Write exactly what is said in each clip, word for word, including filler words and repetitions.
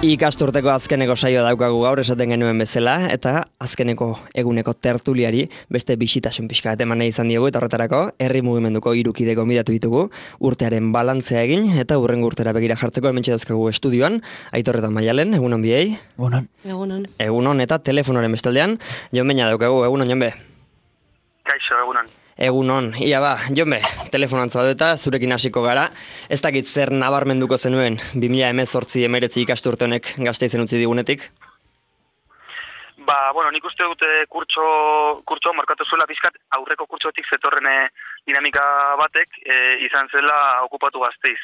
Ikasturteko azkeneko saioa daukagu gaur esaten genuen bezala, eta azkeneko eguneko tertuliari beste bisitasun pixka bat eman nahi izan diogu, eta horretarako herri mugimenduko hiru kide gonbidatu ditugu, urtearen balantzea egin, eta hurrengo urtera begira jartzeko hementxe dauzkagu estudioan, Aitor eta Maialen, egunon biei. Egunon. Egunon. Egunon eta telefonoren bestaldean, Jon Beña daukagu, egunon Jonbe. Kaixo, egunon. Egunon, ia ba, Jonbe, telefonan zaudeta, zurekin hasiko gara. Ez dakit zer nabarmenduko zenuen bi mila hemezortzi hemeretzi ikasturte honek Gasteizen utzi digunetik? Ba, bueno, nik uste dute kurtso, kurtso markatu zuela pizkat aurreko kurtsotik zetorren dinamika batek e, izan zela okupatu Gasteiz,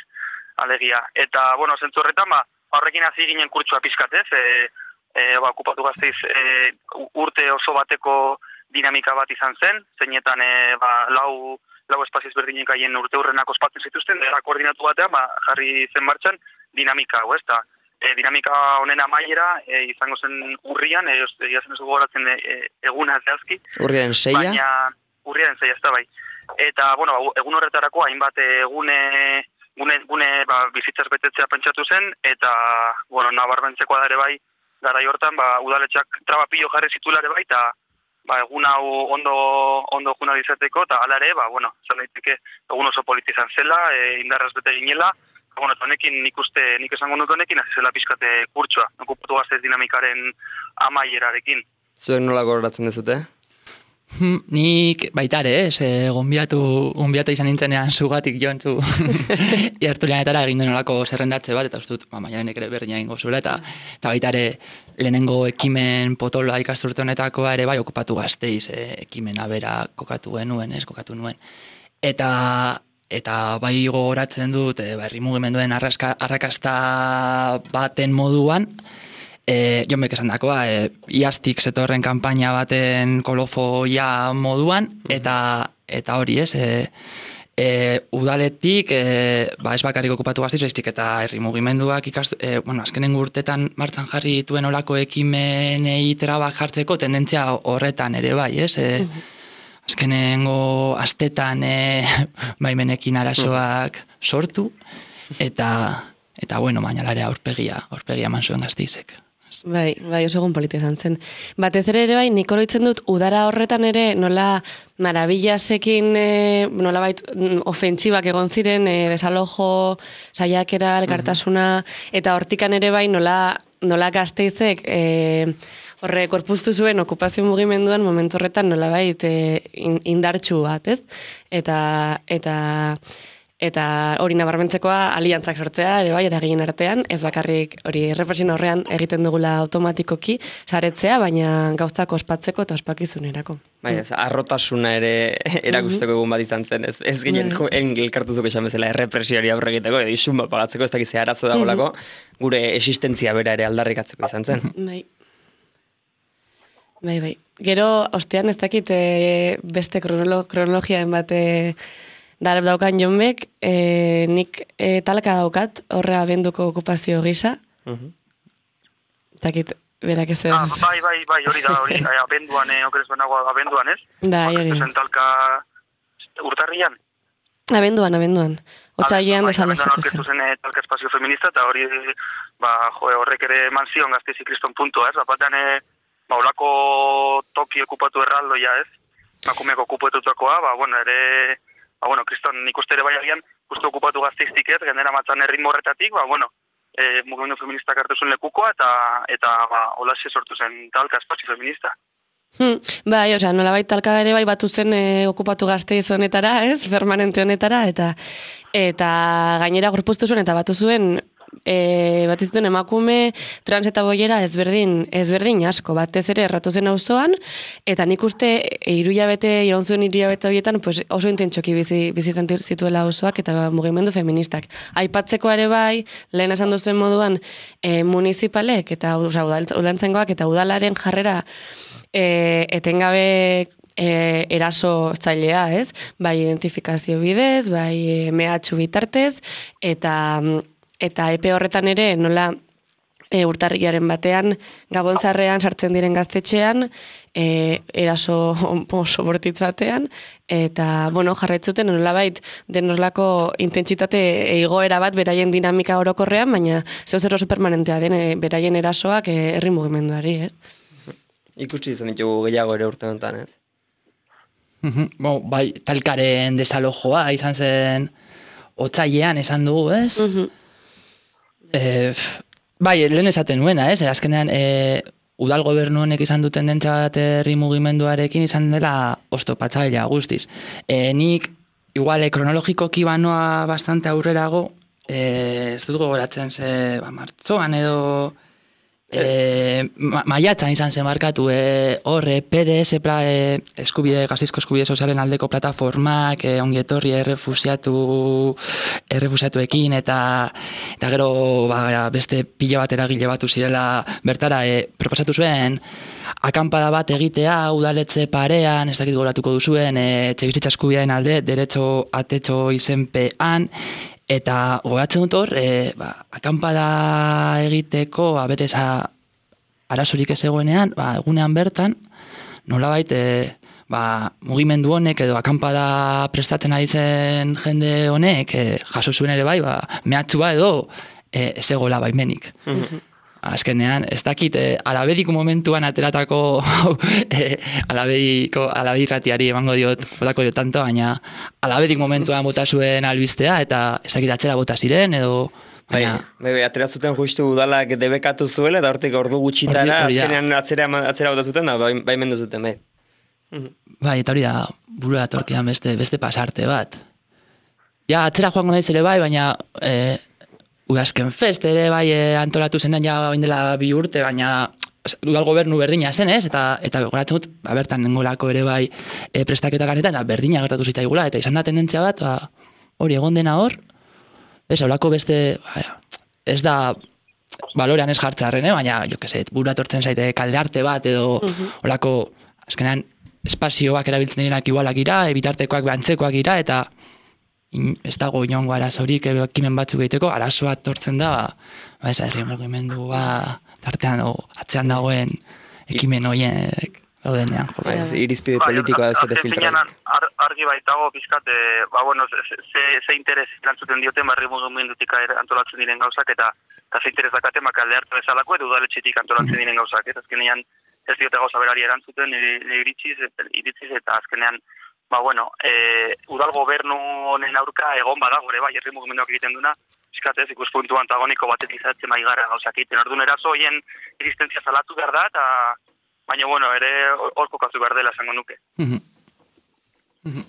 alegia. Eta, bueno, zentzu horretan, ba, horrekin hasi ginen kurtsoa pizkat, ez? E, e, ba, okupatu Gasteiz e, urte oso bateko dinamika bat izan zen, zeinetan e, ba, lau, lau espazioz berdinek haien urte hurrenak ospatzen zituzten, era koordinatu batean ba, jarri zen martxan dinamika hau, ez da. E, dinamika honen amaiera e, izango zen urrian, e, jazen ez gogoratzen e, eguna zehazki. Urriaren seia? Baina urriaren seia, ez da bai. Eta, bueno, egun horretarako hainbat egune, gune, gune ba, bizitzaz betetzea pentsatu zen, eta, bueno, nabarmentzekoa da ere bai, garai hortan, ba, udaletxak trabapillo jarri zitulare bai, eta ba, egun hau ondo, ondo juna izateko, eta hala ere, ba, bueno, zan daiteke egun oso politizan zela, e, indarraz bete ginela, bueno, honekin nik uste, nik esango nuke honekin, hasi zela pixkate kurtsoa, okupatu Gasteiz dinamikaren amaierarekin. Zuek nola gogoratzen dezute? Hmm, nik baitare, ez, eh, gonbiatu, gonbiatu izan nintzenean zugatik joan zu jartulianetara egin duen olako zerrendatze bat, eta uste dut, ba, Maialenek ere berdina egingo zuela, eta, eta baitare lehenengo ekimen potoloa ikasturte honetakoa ere bai okupatu Gasteiz, eh, ekimena bera kokatu genuen, ez, kokatu nuen. Eta, eta bai gogoratzen dut, eh, ba, herri mugimenduen arraska, arrakasta baten moduan, E, Jonbek esan dakoa, e, iaztik zetorren kanpaina baten kolofoia moduan, eta eta hori ez, e, e, udaletik, e, ba ez bakarrik okupatu Gasteiz, baizik eta herri mugimenduak ikastu, e, bueno, azkenengo urtetan martzan jarri dituen olako ekimenei trabak jartzeko tendentzia horretan ere bai, ez? E, azkenengo astetan e, baimenekin arazoak sortu, eta, eta bueno, bainalare aurpegia, aurpegia eman zuen Gasteizek. Bai, bai, oso egun polita izan zen. Batez ere ere bai, nik oroitzen dut, udara horretan ere nola marabillasekin e, nola bait ofentsibak egon ziren, e, desalojo, saiakera, elkartasuna, eta hortikan ere bai nola, nola Gasteizek e, horre korpuztu zuen okupazio mugimenduan momentu horretan nola bait e, indartsu bat, ez? Eta, eta Eta hori nabarmentzekoa aliantzak sortzea, ere bai, eraginen artean, ez bakarrik hori errepresioen horrean egiten dugula automatikoki saretzea, baina gauztak ospatzeko eta ospakizunerako. Bai, ez, arrotasuna ere erakusteko egun bat izan zen, ez, ez ginen elkartuzuk esan bezala errepresioari aurre egiteko, edo isun bat pagatzeko, ez dakiz arazo dagolako, gure existentzia bera ere aldarrikatzeko izan zen. Bai. Bai, bai. Gero, ostean ez dakit beste kronolo, kronologiaen bate Darab daukan Jonbek, e, nik e, talka daukat, horre abenduko okupazio gisa. Uh-huh. Takit, berak ez ez. Ah, bai, bai, bai, hori da, hori, abenduan, eh, okerez benago abenduan, ez? Da, hori. Zen talka urtarrian? Abenduan, abenduan. Otsailean desalojatu zen. Abenduan zen talka espazio feminista, eta hori, ba, jo, horrek ere eman zion Gasteiz ikriston puntua, ez? Bapatean, e, ba, olako toki okupatu erraldoia, ez? Makumeak okupatutakoa, ba, bueno, ere... Ba, bueno, kriston nik uste ere bai agian, uste okupatu Gasteiztik ez, gendera matzan erritmo horretatik, ba, bueno, e, mugimendu feministak hartu zuen lekukoa, eta, eta ba, holaxe sortu zen talka espazio feminista. Hmm, bai, osea, nolabait talka ere bai batu zen e, okupatu Gasteiz honetara, ez, permanente honetara, eta eta gainera gorpuztu zuen, eta batu zuen, E, bat iztuen emakume trans eta boiera ezberdin, ezberdin asko, batez ere erratu zen auzoan, eta nik uste irulabete, iraun zuen irulabete horietan pues, oso intentsoki bizi, bizi zituela auzoak eta mugimendu feministak. Aipatzeko ere bai, lehen esan duzuen moduan, e, municipalek eta udaltzengoak eta udalaren jarrera e, etengabe e, eraso zailea, ez? Bai identifikazio bidez, bai e, mehatxu bitartez, eta... Eta epe horretan ere nola e, urtarrilaren batean, Gabonzarrean sartzen diren gaztetxean, e, eraso oso bortitz batean, eta, bueno, jarretzuten, nolabait, denolako intentsitate igoera bat beraien dinamika orokorrean, baina zeu zer oso permanentea den e, beraien erasoak e, herri mugimenduari, ez? Ikusi izan ditugu gehiago ere urte honetan, ez? Bo, bai, talkaren desalojoa izan zen otsailean esan dugu, ez? Mhm. Eh, bai, lehen esaten nuena, ez? Azkenean, e, udal gobernu honek izan duten dentza bat herri mugimenduarekin izan dela oztopatzailea guztiz. E, nik, igual, kronologikoki banoa bastante aurrerago, e, ez dut gogoratzen ze, ba, martzoan edo... E, ma, maiatzan izan zen markatu e, horre P D S pla, e, eskubide, gazteizko eskubide sozialen aldeko plataformak e, ongietorri errefusiatu errefusiatuekin eta eta gero ba, beste pila bat eragile batu zirela bertara e, proposatu zuen akampada bat egitea udaletze parean, ez dakit goratuko duzuen e, etxebizitza eskubidearen alde derecho atetxo izenpean. Eta gogatzen dut hor, e, ba, akampada egiteko, ba, berez, arazorik ez egoenean, ba, egunean bertan, nolabait, e, ba, mugimendu honek edo akampada prestatzen ari zen jende honek, e, jaso zuen ere bai, ba, mehatxua edo e, ez egola baimenik. Mm-hmm. Azkenean, ez dakit, e, alabediko momentuan ateratako, e, alabediko, alabirratiari emango diot, botako diot tanto, baina alabedik momentuan bota zuen albistea, eta ez dakit atzera bota ziren, edo... Baina, bai, bai, atera zuten justu udalak debekatu zuela, eta hortik ordu gutxitara, ordi, azkenean atzera, atzera bota zuten, da, bai, bai mendu zuten, bai. Bai, eta hori da, burua torkidan beste, beste pasarte bat. Ja, atzera joango naiz ere bai, baina... E, Udazken fest ere bai antolatu zenean ja baindela bi urte, baina udal gobernu berdina zen, ez? Eta, eta goratzen dut, ba, bertan nengolako ere bai e, prestaketa lanetan, eta berdina gertatu zitzaigula, eta izan da tendentzia bat, ba, hori egon dena hor, ez, holako beste, ba, ez da balorean ez jartzarren, eh? Baina, jo que set, buru atortzen zaite kaldearte bat, edo holako, azkenean, espazioak erabiltzen direnak igualak ira, ebitartekoak behantzekoak ira, eta ez dago inongo arazorik ekimen batzuk egiteko, arazoa tortzen da, ba, ez herri mugimendua tartean o, atzean dagoen ekimen horiek daudenean. Ba, irizpide politikoa ez bete filtra. Ar, argi baitago pizkat, e, ba, bueno, ze, ze interes erantzuten dioten herri mugimendutik antolatzen diren gauzak, eta, eta ze interes dakate makalde hartu bezalako, edo udaletxetik antolatzen diren gauzak. Eta azkenean ez diote gauza berari erantzuten, iritziz, iritziz eta azkenean ba, bueno, e, udal gobernu honen aurka egon badago ere, bai, herri mugimenduak egiten duna, fiskatez, ikuspuntu antagoniko batek izatzen maigara gauzak egiten. Orduan eraso hoien existentzia salatu behar da, eta baina, bueno, ere hor kokatu behar dela esango nuke. Mm-hmm. Mm-hmm.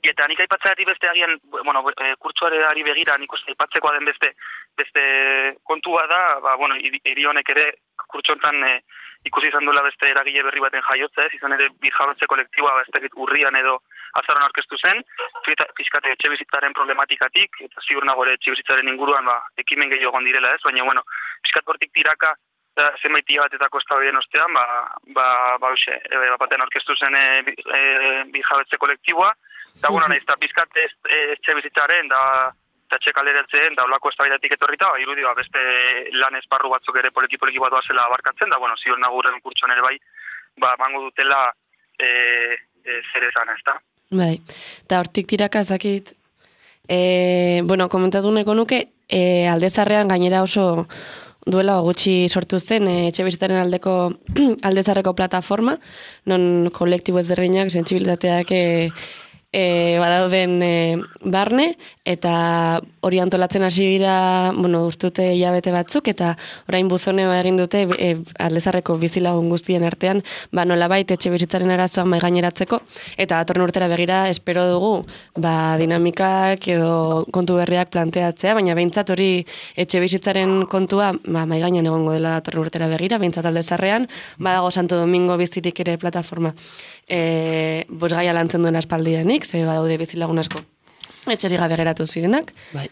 Eta nik aipatzeatik beste agian, bueno, e, kurtsuareari begira, nik uste aipatzekoa den beste, beste kontua da, ba, bueno, hiri honek ere kurtsontan e, ikusi izan duela beste eragile berri baten jaiotza, ez izan ere birjabetze kolektiboa ez dakit urrian edo azaron aurkeztu zen, fiskate etxe bizitzaren problematikatik, eta ziur nago ere etxe bizitzaren inguruan ba, ekimen gehiago egon direla ez, baina bueno, fiskat hortik tiraka da, zenbait hilabetetako eztabaiden ostean, ba, ba, ba, uxe, e, baten aurkeztu zen e, e, birjabetze kolektiboa, eta bueno, nahiz eta fiskat etxe bizitzaren da eta txek alderatzen, da olako eztabaidatik etorrita, ba, irudi, ba, beste lan esparru batzuk ere poliki-poliki bat doazela abarkatzen, da, bueno, ziur nagurren kurtsuan ere bai, ba, mango dutela e, e, zer esan, ez da? Bai, eta hortik tiraka ez dakit, e, bueno, komentatu neko nuke, e, Aldezarrean gainera oso duela gutxi sortu zen, e, etxe bizitzaren aldeko Aldezarreko plataforma, non kolektibo ezberdinak, sentsibilitateak e, E, badauden e, barne, eta hori antolatzen hasi dira, bueno, urtute hilabete batzuk, eta orain buzone egin dute e, Aldezarreko bizilagun guztien artean, ba nolabait etxe bizitzaren arazoak mai gaineratzeko, eta datorren urtera begira espero dugu, ba dinamikak edo kontu berriak planteatzea, baina behintzat hori etxe bizitzaren kontua ba, mai gainean egongo dela datorren urtera begira, behintzat Aldezarrean, badago Santo Domingo bizirik ere plataforma, e, bosgaia lantzen duen aspaldianik, ze badaude bizilagun asko etxeri gabe geratu zirenak. Bai.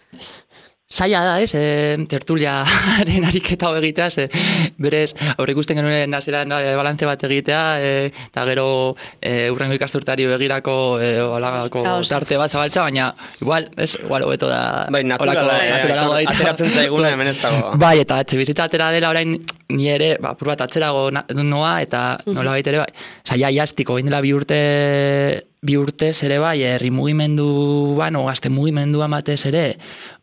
zaila da, ez, e, tertuliaren ariketa hau egitea, ze, berez, aurre ikusten genuen nazeran e, balantze bat egitea, e, eta gero e, urrengo ikasturtari begirako e, olagako tarte bat zabaltza, baina, igual, ez, igual, hobeto da... Bai, naturala, naturala, ateratzen zaiguna hemen ez dago. Bai, eta etxe bizitza atera dela orain, ni ere, ba, apur bat atzerago noa, eta nola baita ere, bai, zaila jastiko, bain dela bi urte... bi urtez ere bai, herri mugimenduan, o gazte mugimenduan batez ere,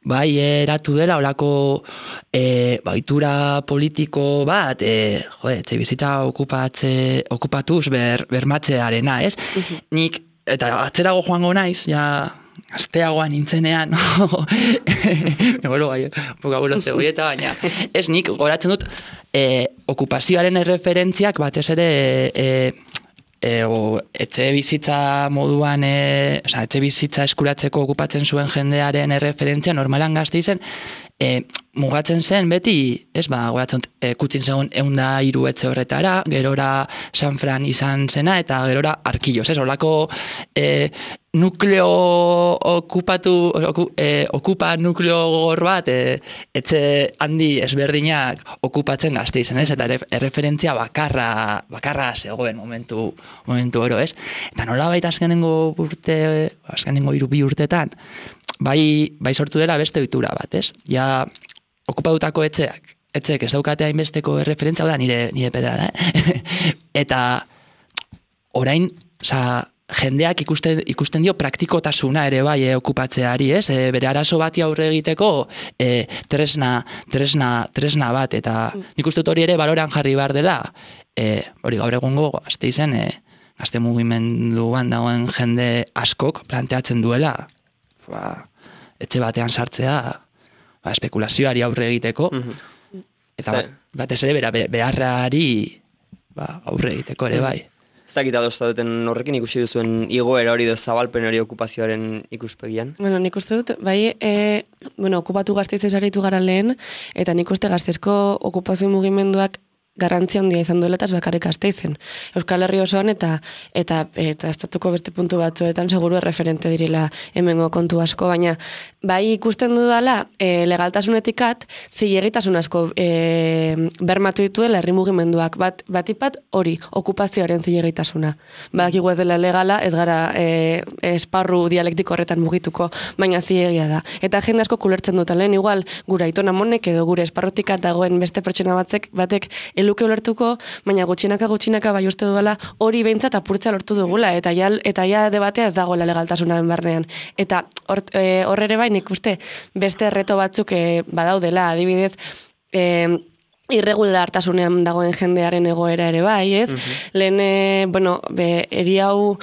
bai, eratu dela, olako e, baitura politiko bat, e, jode, etxe bizitza okupatze, okupatuz ber, bermatzearena, ez? Uh-huh. Nik, eta atzerago joango naiz, ja, gazteagoan nintzenean, no? Egolo, bai, poka bulote goieta, baina, ez nik, goratzen dut, e, okupazioaren erreferentziak batez ere, e, E, o, etxe bizitza moduan, e, oza, etxe bizitza eskuratzeko okupatzen zuen jendearen erreferentzia normalan Gasteizen, e, mugatzen zen beti, ez ba, goratzen, e, kutsin zegoen eunda hiru etxe horretara, gerora San Fran izan zena, eta gerora Arkillos, ez, horlako e, nukleo okupatu, oku, e, okupa nukleo gogor bat, e, etxe handi ezberdinak okupatzen Gasteizen, ez, eta erreferentzia bakarra, bakarra zegoen momentu, momentu oro, ez, eta nola baita azkenengo urte, azkenengo hiru bi urtetan, bai, bai sortu dela beste ohitura bat, ez, ja, okupatutako etxeak, etxeek ez daukate hainbesteko erreferentzia, da nire, nire pedrada, eh? Eta orain, oza, jendeak ikusten, ikusten dio praktikotasuna ere bai eh, okupatzeari, ez? E, bere arazo bati aurre egiteko e, tresna, tresna, tresna bat, eta nik uste dut hori ere baloran jarri behar dela, e, hori gaur egungo Gasteizen, e, gazte mugimenduan dagoen jende askok planteatzen duela, ba, etxe batean sartzea, ba, espekulazioari aurre egiteko, mm-hmm. eta bat, batez ere bera, beharrari ba, aurre egiteko ere bai. Ez dakit adosta duten horrekin ikusi duzuen igoera hori do zabalpen hori okupazioaren ikuspegian? Bueno, nik uste dut, bai, e, bueno, okupatu Gasteizen saritu gara lehen, eta nik uste Gasteizko okupazio mugimenduak garrantzia handia izan duela eta ez bakarrik Gasteizen. Euskal Herri osoan eta eta eta estatuko beste puntu batzuetan seguru erreferente direla hemengo kontu asko, baina bai ikusten dudala e, legaltasunetik at zilegitasun asko e, bermatu dituela herri mugimenduak, bat batipat hori okupazioaren zilegitasuna. Badakigu ez dela legala, ez gara e, esparru dialektiko horretan mugituko, baina zilegia da. Eta jende asko kulertzen dut lehen igual gura Aiton Amonek edo gure esparrutik dagoen beste pertsona batzek batek luke ulertuko, baina gutxinaka gutxinaka bai uste duela hori behintzat apurtza lortu dugula, eta ja, eta ja debatea ez dagoela legaltasunaren barnean. Eta hor e, ere bai nik uste beste erreto batzuk e, badaudela, adibidez, e, irregulartasunean dagoen jendearen egoera ere bai, ez? Uh-huh. Lehen, e, bueno, be, eri hau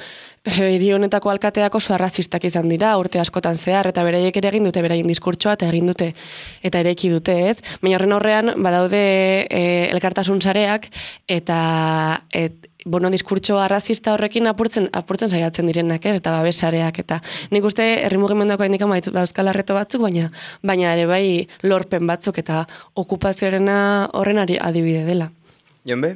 hiri honetako alkateak oso arrazistak izan dira, urte askotan zehar, eta beraiek ere egin dute beraien diskurtsoa, eta egin dute, eta eraiki dute, ez? Baina horren horrean, badaude e, elkartasun sareak, eta et, bueno, diskurtso arrazista horrekin apurtzen, apurtzen saiatzen direnak, ez? Eta babes sareak, eta nik uste herri mugimenduako haindik amaitu dauzkala reto batzuk, baina baina ere bai lorpen batzuk, eta okupazioarena horren adibide dela. Jonbe?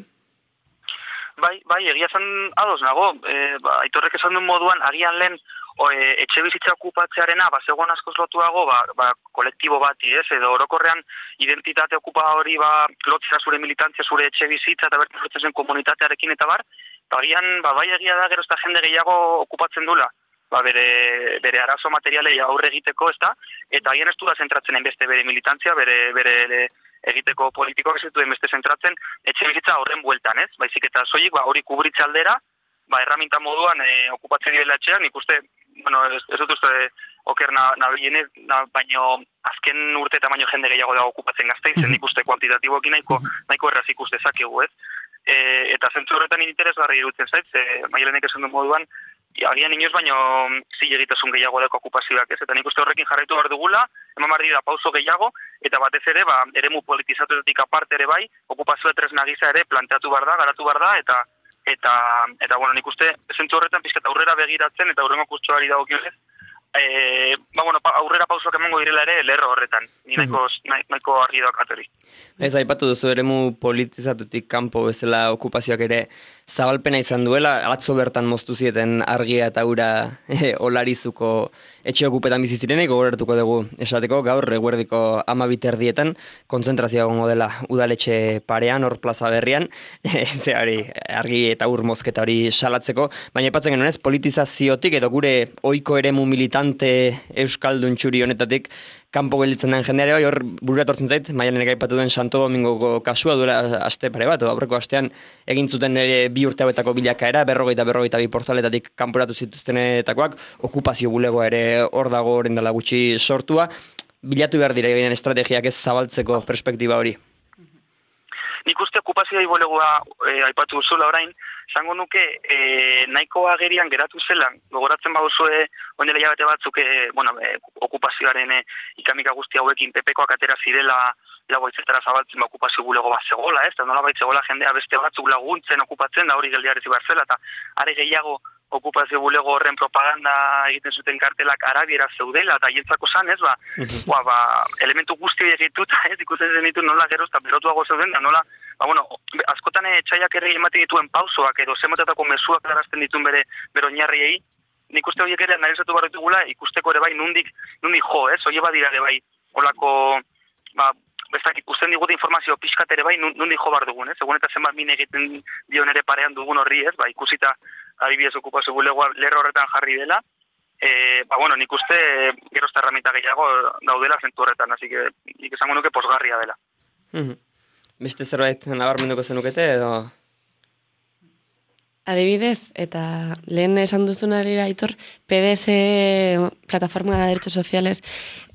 Bai, bai, egia zen ados nago, e, ba, Aitorrek esan duen moduan, agian lehen o, e, etxe bizitza okupatzearena, ba, zegoen askoz lotuago, ba, ba, kolektibo bati, ez, edo orokorrean identitate okupa hori, ba, lotzera zure militantzia, zure etxe bizitza, eta bertan lotzen zen komunitatearekin eta bar, ba, agian, ba, bai egia da, gero ez da jende gehiago okupatzen dula, ba, bere, bere arazo materialei aurre egiteko, ez da, eta agian ez du da zentratzen beste bere militantzia, bere, bere, bere egiteko politikoak ez duen beste zentratzen etxe bizitza horren bueltan, ez? Baizik eta soilik ba hori kubritze aldera, ba erraminta moduan e, okupatzen direla etxean, nik uste, bueno, ez, ez dut uste oker nabienez, na, baino azken urte eta baino jende gehiago dago okupatzen Gasteizen, nik uste kuantitatiboekin nahiko, nahiko erraz ikus dezakegu, ez? E, eta zentzu horretan interesgarri iruditzen zait, ze Maialenek esan duen moduan, agian inoiz baino zilegitasun gehiago deko okupazioak, ez? Eta nik uste horrekin jarraitu behar dugula, eman behar dira pauso gehiago, eta batez ere, ba, eremu politizatuetik aparte ere bai, okupazioa tresna gisa ere planteatu behar da, garatu behar da, eta, eta, eta bueno, nik uste zentzu horretan pizkat aurrera begiratzen, eta aurrengo kurtsoari dagokionez, e, ba, bueno, pa, aurrera pausoak emango direla ere lerro horretan. Ni nahiko, nahiko argi dakat hori. Ez, aipatu duzu eremu politizatutik kanpo bezala okupazioak ere zabalpena izan duela, atzo bertan moztu zieten argia eta ura e, olarizuko etxe okupetan bizi zirenek, gogoratuko dugu esateko, gaur eguerdiko amabit erdietan kontzentrazioa egongo dela udaletxe parean, hor plaza berrian, e, ze hori argi eta ur mozketa hori salatzeko, baina aipatzen genuen ez, politizaziotik edo gure ohiko eremu militante euskaldun txuri honetatik kanpo gelditzen den jendeare bai, hor burura etortzen zait, Maialenek aipatu duen Santo Domingoko kasua duela aste pare bat, aurreko astean egin zuten ere bi urte hauetako bilakaera, berrogeita berrogeita bi portaletatik kanporatu zituztenetakoak, okupazio bulegoa ere hor dago orain dela gutxi sortua, bilatu behar dira eginen estrategiak ez zabaltzeko perspektiba hori. Nik uste okupazioa ibolegoa e, aipatu duzula orain, esango nuke e, nahiko agerian geratu zela, gogoratzen baduzue ondela hilabete batzuk e, bueno, e, okupazioaren e, ikamika guzti hauekin pepekoak atera zirela lagoitzetara zabaltzen ba, okupazio bulego bat zegoela, ez? Eta nola baitzegoela jendea beste batzuk laguntzen okupatzen da hori geldiarezi behar zela, eta are gehiago okupazio bulego horren propaganda egiten zuten kartelak arabiera zeudela, eta hientzako zan, ez, ba, ba, ba, elementu guzti egituta, ez, ikusten zen ditu nola geroz, eta berotuago zeuden, da nola, ba, bueno, askotan etxaiak ere ematen dituen pausoak, edo zemotetako mezuak darazten dituen bere, bere oinarriei, nik uste horiek ere analizatu behar ditugula, ikusteko ere bai nundik, nundik jo, ez, hori badira ere bai, holako, ba, bestak ikusten digute informazio pixkat ere bai, nundik jo behar dugun, ez, egun eta zenbat min egiten dion ere parean dugun horri, ez, ba, ikusita, adibidez okupazio bulegoa lerro horretan jarri dela, e, ba, bueno, nik uste gerozta herramienta gehiago daudela zentu horretan, así que nik esango nuke posgarria dela. Mm-hmm. Beste zerbait nabarmenduko zenukete edo? Adibidez, eta lehen esan duzunari Aitor, P D S plataforma de derechos sociales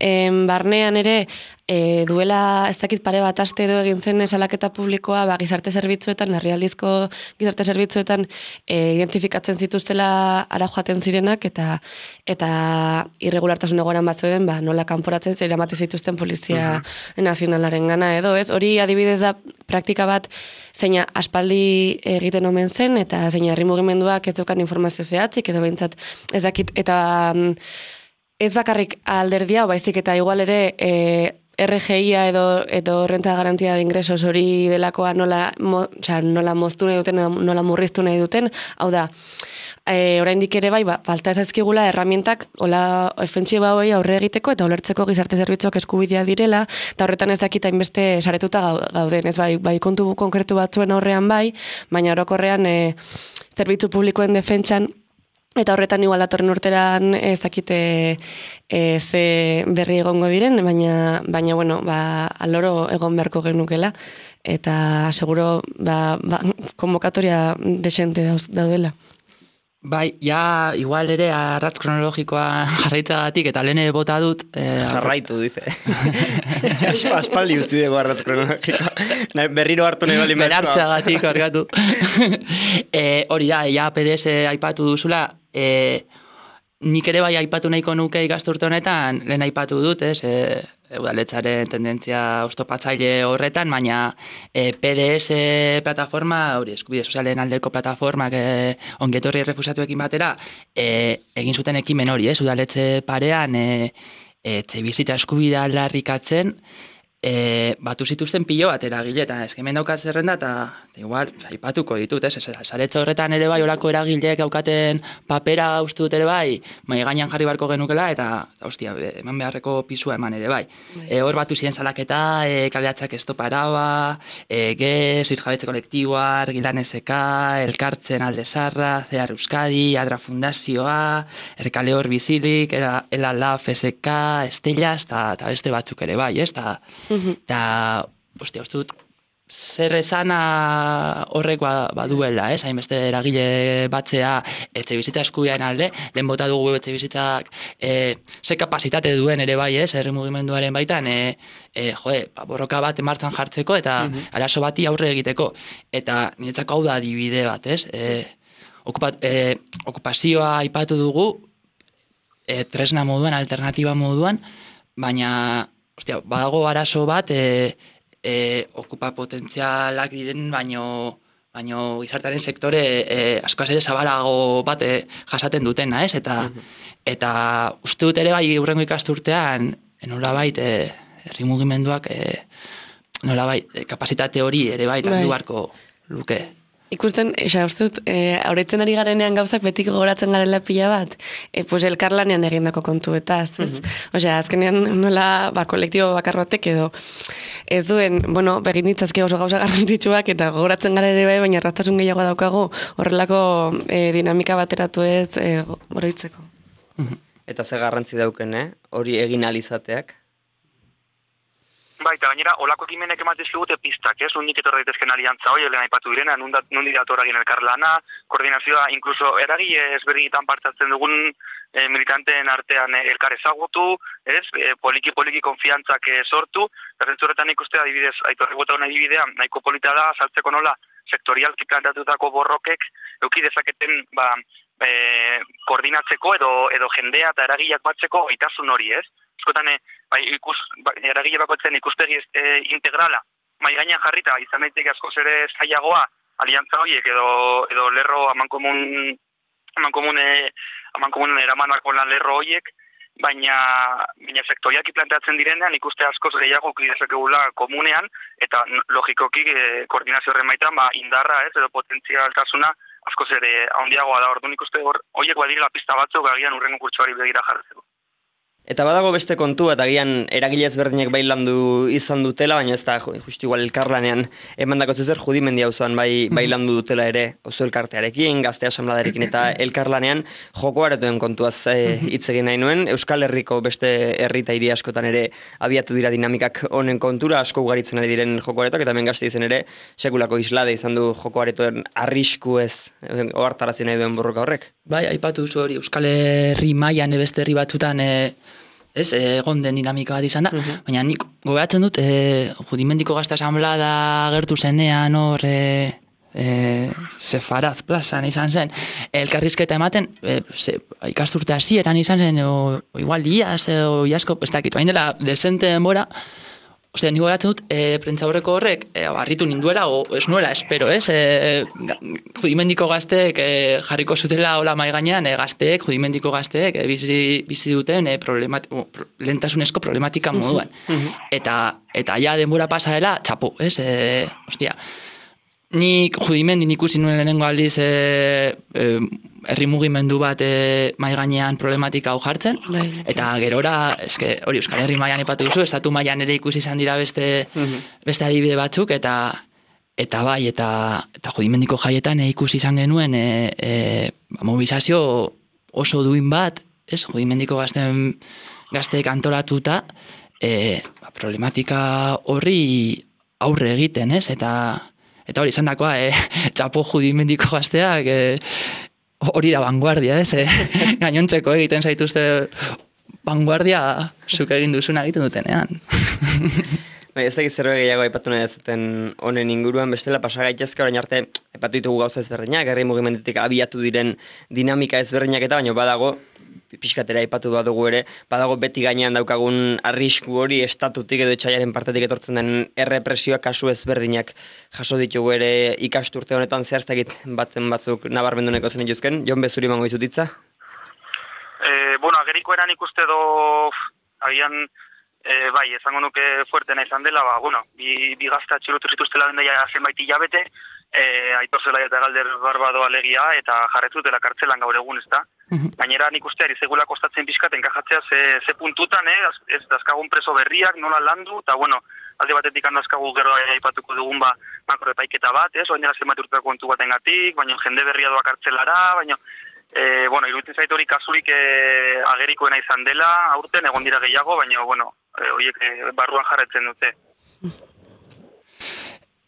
en barnean ere e, duela ez dakit pare bat aste edo egin zen salaketa publikoa ba, gizarte zerbitzuetan, herrialdizko gizarte zerbitzuetan e, identifikatzen zituztela ara joaten zirenak eta eta irregulartasun egoeran bat zeuden ba, nola kanporatzen zer eramaten zituzten polizia uh-huh. nazionalaren gana edo, ez? Hori adibidez da praktika bat zeina aspaldi egiten omen zen eta zeina herri mugimenduak ez dukan informazio zehatzik edo behintzat ez dakit eta ez bakarrik alderdia, baizik eta igual ere e, R G I-a edo, edo renta garantia de ingresos hori delakoa nola, mo, oza, nola moztu nahi duten, nola murriztu nahi duten, hau da, e, oraindik ere bai, ba, falta ez ezkigula erramientak hola ofentsiba hori aurre egiteko eta ulertzeko gizarte zerbitzuak eskubidea direla, eta horretan ez dakita inbeste saretuta gauden, ez bai, bai kontu konkretu batzuen aurrean bai, baina orokorrean e, zerbitzu publikoen defentsan eta horretan igual datorren urteran ez dakite e, ze berri egongo diren, baina, baina bueno, ba, aloro egon beharko genukela, eta seguro ba, ba, konvokatoria desente daudela. Bai, ja, igual ere arratz kronologikoa jarraitzagatik eta lehen bota dut. Eh, Jarraitu, dice. Aspaldi utzi dugu arratz kronologikoa. Berriro hartu nahi bali mezua. Berartzagatik, orgatu. eh, hori da, ja, P D S aipatu duzula, eh, nik ere bai aipatu nahiko nuke ikasturte honetan, lehen aipatu dut, ez, eh, udaletzaren tendentzia oztopatzaile horretan, baina e, P D S plataforma, hori eskubide sozialen aldeko plataformak e, ongetorri errefusatuekin batera, e, egin zuten ekimen hori, ez, udaletze parean, e, e, etxebizitza eskubidea aldarrikatzen, e, batu zituzten pilo bat eragile, eta eskemen daukat zerrenda, eta igual, aipatuko ditut, ez, saretze horretan ere bai, orako eragileek daukaten papera uste dut ere bai, mai gainan jarri barko genukela, eta, ostia, eman beharreko pisua eman ere bai. E, hor batu ziren salaketa, e, kaleatzak estoparaba, e, gez, irjabetze kolektiboa, argilan eseka, elkartzen aldezarra, Zehar Euskadi, Adra Fundazioa, Erkale hor bizilik, Ela Laf, S K, Estella, eta beste batzuk ere bai, ez, eta, eta, ostia, uste dut, zer esana horrek baduela, ez? Hainbeste eragile batzea etxe bizitza eskubiaren alde, lehen bota dugu etxe bizitzak e, ze kapasitate duen ere bai, ez? Herri mugimenduaren baitan, e, e, jode, borroka bat martxan jartzeko eta uh-huh. arazo bati aurre egiteko. Eta niretzako hau da adibide bat, ez? E, okupat, e, okupazioa aipatu dugu, e, tresna moduan, alternatiba moduan, baina, ostia, badago arazo bat, e, E, okupa potentzialak diren, baino, baino gizartearen sektore e, askoz ere zabalago bat e, jasaten dutena, ez? Eta, eta uste dut ere bai hurrengo ikasturtean, nolabait, e, herri mugimenduak, e, nolabait, e, kapasitate hori ere bai, landu beharko luke. Ikusten, esa, uste dut, e, aurretzen ari garenean gauzak betik gogoratzen garela pila bat, e, pues elkarlanean egindako kontuetaz, ez? Mm-hmm. Osea, azkenean nola, ba, kolektibo bakar batek edo, ez duen, bueno, begin ditzazke oso gauza garrantzitsuak eta gogoratzen gara ere bai, baina erraztasun gehiago daukagu horrelako e, dinamika bateratu ez e, oroitzeko. Mm-hmm. Eta ze garrantzi dauken, eh? Hori egin alizateak? Bai, eta gainera, olako ekimenek ematez digute pistak, ez? Undik etorra daitezken aliantza hori, lehen aipatu direna, nundi dator egin elkarlana, koordinazioa, inkluso eragile ezberdinetan partatzen dugun e, militanteen artean e, elkar ezagutu, ez? E, poliki-poliki konfiantzak e, sortu, eta zentzurretan ikuste adibidez, aitorri bota hona adibidea, nahiko polita da, saltzeko nola, sektorialki plantatutako borrokek, euki dezaketen, ba, e, koordinatzeko edo, edo jendea eta eragileak batzeko gaitasun hori, ez? Eskotan, bai, ikus, bai, eragile bakoitzen ikuspegi e, integrala, mai gainean jarrita, izan daiteke askoz ere zailagoa, aliantza horiek edo, edo lerro amankomun, amankomun, e, amankomun eramanako lan lerro horiek, baina, baina sektoriaki planteatzen direnean ikuste askoz gehiago ukidezakegula komunean, eta logikoki e, koordinazio horren baitan, ba, indarra ez, edo potentzialtasuna askoz ere handiagoa da, orduan ikuste horiek badirela pista batzuk agian urrengo kurtsoari begira jartzeko. Eta badago beste kontu, eta agian eragile ezberdinek bai landu izan dutela, baina ez da justu igual elkarlanean emandako zuzer judimendi auzoan bai, bai landu dutela ere auzo elkartearekin, gazte asambladarekin eta elkarlanean joko aretuen kontuaz hitz e, egin nahi nuen. Euskal Herriko beste herri eta hiri askotan ere abiatu dira dinamikak honen kontura, asko ugaritzen ari diren joko aretok, eta hemen Gasteizen ere sekulako islade izan du joko aretuen arrisku ez ohartarazi nahi duen borroka horrek. Bai, aipatu zu hori Euskal Herri mailan beste herri batzutan e, ez, egon den dinamika bat izan da, uh-huh. Baina nik gogoratzen dut, e, Judimendiko Gazte Asamblada gertu zenean hor, e, e, Sefaraz plazan izan zen, elkarrizketa ematen, e, ze, ikasturte hasieran izan zen, o, o igual diaz, o iasko, ez dakit, bain dela, desente denbora, ostia, nik gogoratzen dut, e, prentzaurreko horrek, e, barritu ninduela, o ez nuela, espero, ez? E, Judimendiko gazteek e, jarriko zutela hola mai gainean, e, gazteek, Judimendiko gazteek, e, bizi, bizi duten e, problemati, o, pro, lehentasunezko problematika moduan. eta, eta ja denbora pasa dela, txapu, ez? E, ostia, nik Judimendin ikusi nuen lehenengo aldiz e, e, herri mugimendu bat e, mai gainean problematika hau jartzen, bai, eta gerora, eske, hori Euskal Herri mailan ipatu duzu, estatu mailan ere ikusi izan dira beste, uh-huh. beste adibide batzuk, eta eta bai, eta, eta Judimendiko jaietan e, ikusi izan genuen e, e, mobilizazio oso duin bat, ez, Judimendiko gazten gazteek antolatuta, e, problematika horri aurre egiten, ez, eta eta hori izan dakoa, e, txapo Judimendiko gazteak, e, hori da vanguardia, ez? Eh? Gainontzeko egiten zaituzte vanguardia zuk egin duzuna egiten dutenean. Bai, ez dakit zerbait gehiago aipatu nahi zuten honen inguruan, bestela pasa gaitezke orain arte aipatu ditugu gauza ezberdinak, herri mugimendutik abiatu diren dinamika ezberdinak eta baino badago pixkatera aipatu badugu ere, badago beti gainean daukagun arrisku hori estatutik edo etxaiaren partetik etortzen den errepresioak kasu ezberdinak jaso ditugu ere ikasturte honetan zehaztakit batzen batzuk nabarmenduneko zen dituzken. Jon Bezuri mango izutitza? E, bueno, ageriko eran ikuste do agian e, bai, esango nuke fuertena izan dela, ba, bueno, bi, bi gazta txilotu zituztela dendaia zenbait hilabete, e, Aitor Zelai eta Galder Barbado alegia eta jarretzutela kartzelan gaur egun, ezta? Gainera nik uste ari segula kostatzen pixkaten enkajatzea ze, ze puntutan, eh? Ez dazkagun preso berriak, nola landu, eta bueno, alde batetik handazkagu gero aipatuko dugun ba, makroepaiketa bat, ez? Oainera zenbat urteko kontu baten gatik, baina jende berria doa kartzelara, baina, e, bueno, iruditzen zait hori kasurik e, agerikoena izan dela, aurten egon dira gehiago, baina, bueno, e, horiek e, barruan jarretzen dute.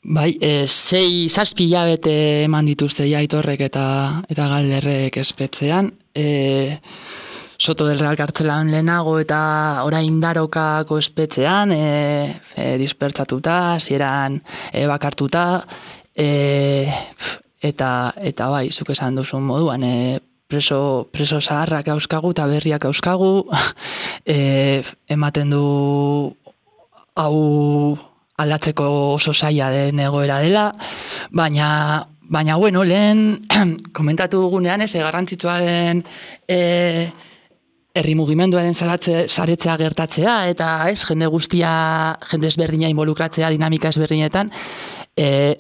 Bai, e, sei zazpi hilabete eman dituzte ja Aitorrek eta, eta Galderrek espetzean, e, Soto del Real kartzelan lehenago eta orain Darokako espetzean, e, e, dispertsatuta, zieran e, bakartuta, e, eta, eta bai, zuk esan duzun moduan, e, preso, preso zaharrak auskagu eta berriak auskagu, e, ematen du hau aldatzeko oso zaila den egoera dela, baina, baina, bueno, lehen komentatu dugunean, ez, garrantzitsua den e, herri mugimenduaren saretzea gertatzea, eta ez, jende guztia, jende ezberdina involukratzea dinamika ezberdinetan, e,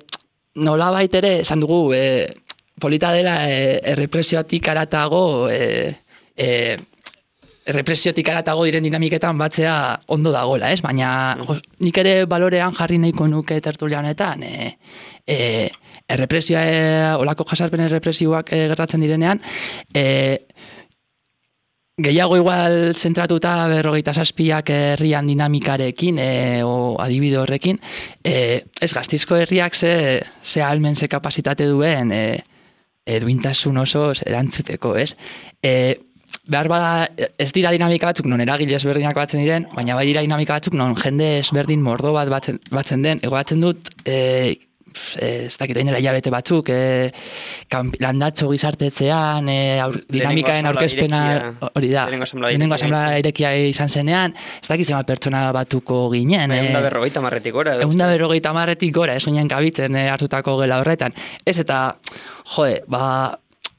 nolabait ere, esan dugu, e, polita dela e, errepresioatik aratago, e, e, errepresiotik aratago diren dinamiketan batzea ondo dagoela, ez? Baina jo, nik ere balorean jarri nahiko nuke tertulia honetan, e, e, errepresioa, e, olako jasarpen errepresioak e, gertatzen direnean, e, gehiago igual zentratuta berrogeita zazpiak herrian dinamikarekin, e, o adibide horrekin, e, ez Gasteizko herriak ze, ze almen, ze kapasitate duen, e, e, duintasun osoz erantzuteko, ez? E, behar bada, ez dira dinamika batzuk non eragile ezberdinak batzen diren, baina bai dira dinamika batzuk non jende ezberdin mordo bat batzen, batzen den, egoatzen dut, e, ez dakit dela hilabete batzuk, e, landatxo gizartetzean, e, aur, dinamikaen aurkezpena, hori da, lehenengo asamblea irekia izan zenean, ez dakit zema pertsona batuko ginen. Egun da berrogeita marretik gora. Egun da berrogeita marretik gora, ez ginen kabitzen e, hartutako gela horretan. Ez eta, joe, ba,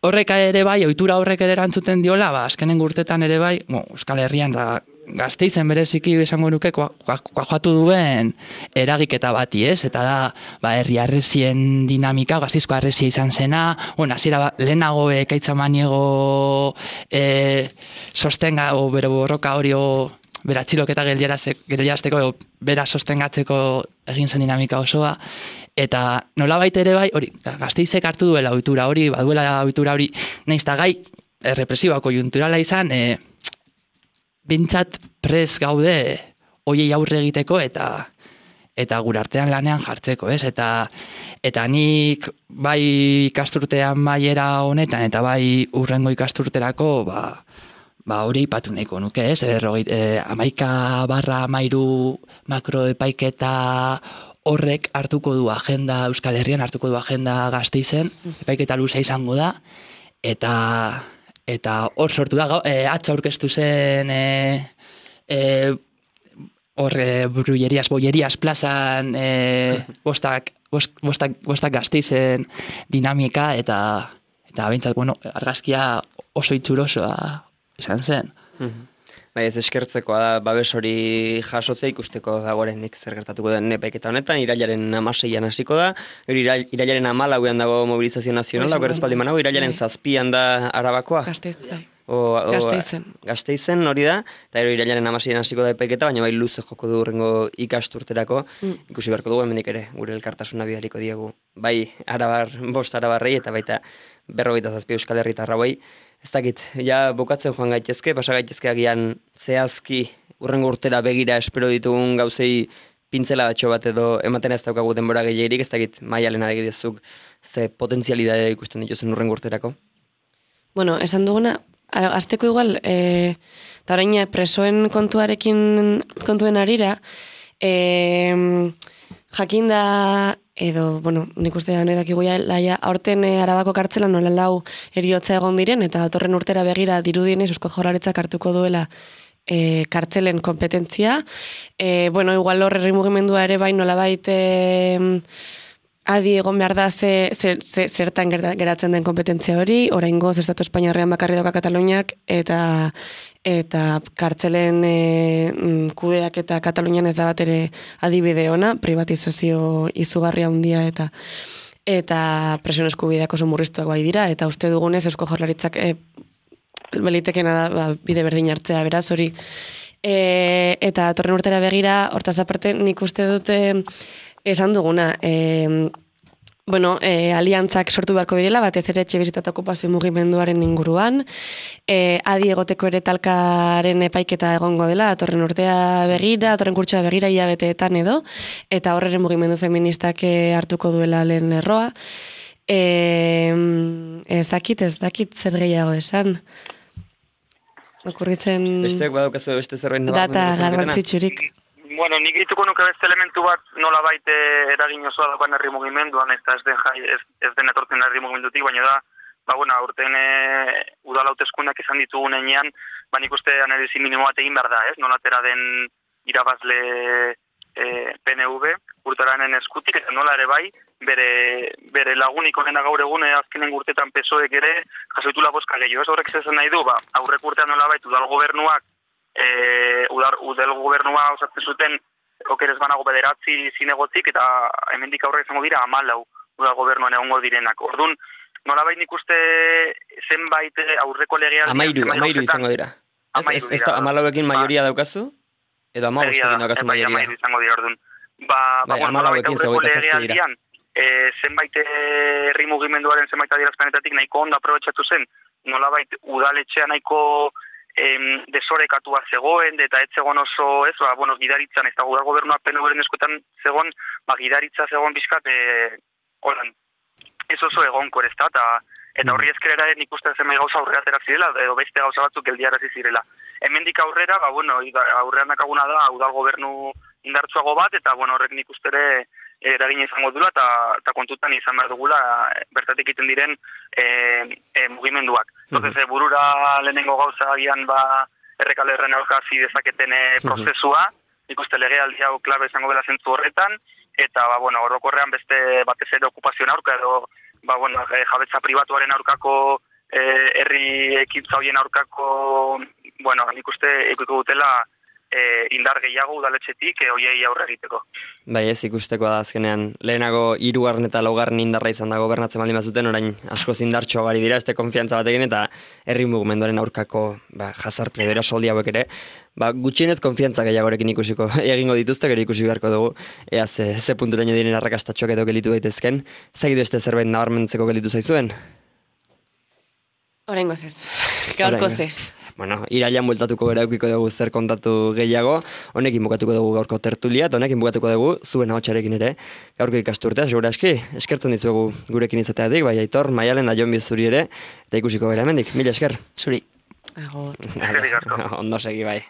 horrek ere bai, ohitura horrek ere erantzuten diola, ba, azkenen urtetan ere bai, bo, Euskal Herrian da, Gasteizen bereziki esango nuke kuajatu duen eragiketa bati, ez? Eta da, ba, herri arrezien dinamika, Gasteizko arrezia izan zena, bueno, hasiera ba, lehenago ekaitza maniego e, sostenga, o bero borroka hori, o bera txiloketa geldiarazteko, o bera sostengatzeko egin zen dinamika osoa, eta nolabait ere bai, hori, Gasteizek hartu duela ohitura hori, baduela ohitura hori, nahiz eta gai errepresiboa konjunturala izan, e, bintzat prez gaude hoiei aurre egiteko eta eta gure artean lanean jartzeko, ez? Eta eta nik bai ikasturtean maiera honetan eta bai urrengo ikasturterako ba ba hori ipatu nahiko nuke, ez? E, hamaika barra hamairu makroepaiketa horrek hartuko du agenda, Euskal Herrian hartuko du agenda Gasteizen, epaiketa luze izango da, eta eta hor sortu da, e, atzo aurkeztu zen e, e, hor e, brullerias, bollerias plazan e, bostak, bost, bostak, bostak Gasteizen dinamika, eta eta behintzat, bueno, argazkia oso itxurosoa izan zen. Bai, ez eskertzekoa da, babes hori jasotzea ikusteko dagoerendik zer gertatuko den epaiketa honetan, irailaren hamaseian hasiko da, hori irailaren hamalauean dago mobilizazio nazionala, gero espaldi manago, irailaren zazpian da Arabakoa. Gasteiz, bai. O, o, Gasteizen. Gasteizen hori da, eta ero irailaren hamaseian hasiko da epaiketa, baina bai luze joko du urrengo ikasturterako, mm. ikusi beharko dugu hemendik ere, gure elkartasuna bidaliko diegu, bai arabar, bost arabarrei, eta baita berrogeita zazpi Euskal Herritarra bai. Ez dakit, ja bukatzen joan gaitezke, pasa gaitezke agian zehazki urrengo urtera begira espero ditugun gauzei pintzela batxo bat edo ematen ez daukagu denbora gehiagirik, ez dakit maialen adegidezuk ze potentzialidade ikusten dituzen urrengo urterako. Bueno, esan duguna, azteko igual, e, eta orain presoen kontuarekin kontuen arira, e, jakinda edo, bueno, nik uste da noidak iguia, laia, aurten e, Arabako kartzelan nola lau eriotza egon diren, eta datorren urtera begira dirudienez Eusko Jaurlaritzak hartuko duela e, kartzelen kompetentzia. E, bueno, igual hor herri mugimendua ere bai nolabait e, adi egon behar da ze, ze, ze, zertan geratzen den kompetentzia hori, oraingoz Estatu Espainiarrean bakarri doka Kataluniak, eta eta kartzelen e, kudeak eta Katalunian ez da bat ere adibide ona, privatizazio izugarria handia eta eta presioen eskubideak oso murriztuak bai dira, eta uste dugunez Eusko Jaurlaritzak e, belitekena da ba, bide berdin hartzea, beraz hori. E, eta torren urtera begira, hortaz aparte nik uste dute esan duguna, e, bueno, e, aliantzak sortu beharko direla, batez ere etxe bizitza eta okupazio mugimenduaren inguruan, e, adi egoteko ere talkaren epaiketa egongo dela, atorren urtea begira, atorren kurtsoa begira hilabeteetan edo, eta horren mugimendu feministak hartuko duela lehen lerroa. E, ez dakit, ez dakit zer gehiago esan. Okurritzen besteak badaukazu beste zerbait data garrantzitsurik. Bueno, nik dituko nuke beste elementu bat nola baite eragin osoa daukan herri mugimenduan, ez, ez, den, ez, ez den etortzen herri mugimendutik, baina da, ba, bueno, aurten e, udala hauteskundeak izan ditugun enean, ba, nik uste analizi minimo bat egin behar da, ez? Nola atera den irabazle e, P N V, Urtaranen eskutik, eta nola ere bai, bere, bere lagunik onena gaur egun e, azkenen urtetan P S O Ek ere jasoitula bozka gehiago. Ez horrek zezen nahi du, ba, aurrek urtean nola bait, udal gobernuak, e, udal, udal gobernua osatzen zuten, okerez banago bederatzi zinegotzik, eta hemendik aurre izango dira amalau udal gobernuan egongo direnak. Orduan, nolabait nik uste zenbait aurreko legealdian... Amairu, amairu izango dira. Ez, ez da amalauekin maioria daukazu? Edo amabostekin daukazu maioria? Bai, amairu izango dira, orduan. Ba, ba bueno, nolabait aurreko legealdian, e, zenbait herri mugimenduaren zenbait adierazpenetatik nahiko ondo aprobetxatu zen, nolabait udaletxea nahiko em, desorekatua zegoen, eta ez zegoen oso, ez, ba, bueno, gidaritzan, ez da udal gobernua P N V-ren eskuetan zegoen, ba, gidaritza zegoen bizkat, e, holan, ez oso egonkor ez da, eta, eta horri ezkerera nik uste zenbait gauza aurrera aterak zirela, edo beste gauza batzuk geldiarazi zirela. Hemendik aurrera, ba, bueno, aurrean dakaguna da, udal gobernu indartsuago bat, eta, bueno, horrek nik uste ere eragina izango dula, eta, eta kontutan izan behar dugula, bertatik egiten diren e, e, mugimenduak. Entonces, e, burura lehenengo gauza agian, ba, errekalerren aurkazi dezaketen e, prozesua, nik uste legealdi hau klabe izango dela zentzu horretan, eta, ba, bueno, orokorrean beste batez ere okupazioen aurka, edo, ba, bueno, jabetza pribatuaren aurkako, eh, herri ekintza horien aurkako, bueno, nik uste ikuiko dutela eh, indar gehiago udaletxetik eh, hoiei aurre egiteko. Bai, ez ikustekoa da azkenean, lehenago hirugarren eta laugarren indarra izan da gobernatzen baldin bazuten, orain asko indartxo gari dira, este konfiantza batekin, eta herri mugimenduaren aurkako ba, jazar prebera soldi hauek ere, ba, gutxienez konfiantza gehiagorekin ikusiko egingo dituzte, gero ikusi beharko dugu, ea ze, ze punturaino diren arrakastatxoak edo gelitu daitezken, zagidu este zerbait nabarmentzeko gelitu zaizuen? Oraingoz ez, gaurkoz ez. Bueno, irailan bueltatuko gara eukiko dugu zer kontatu gehiago, honekin bukatuko dugu gaurko tertulia, eta honekin bukatuko dugu zuen ahotsarekin ere, gaurko ikasturtea, segura eski, eskertzen dizuegu gurekin izateatik, bai Aitor, Maialen da Jon Bizuri ere, eta ikusiko gara hemendik, mila esker. Zuri. Agor. Eskerrik asko. Ondo segi bai.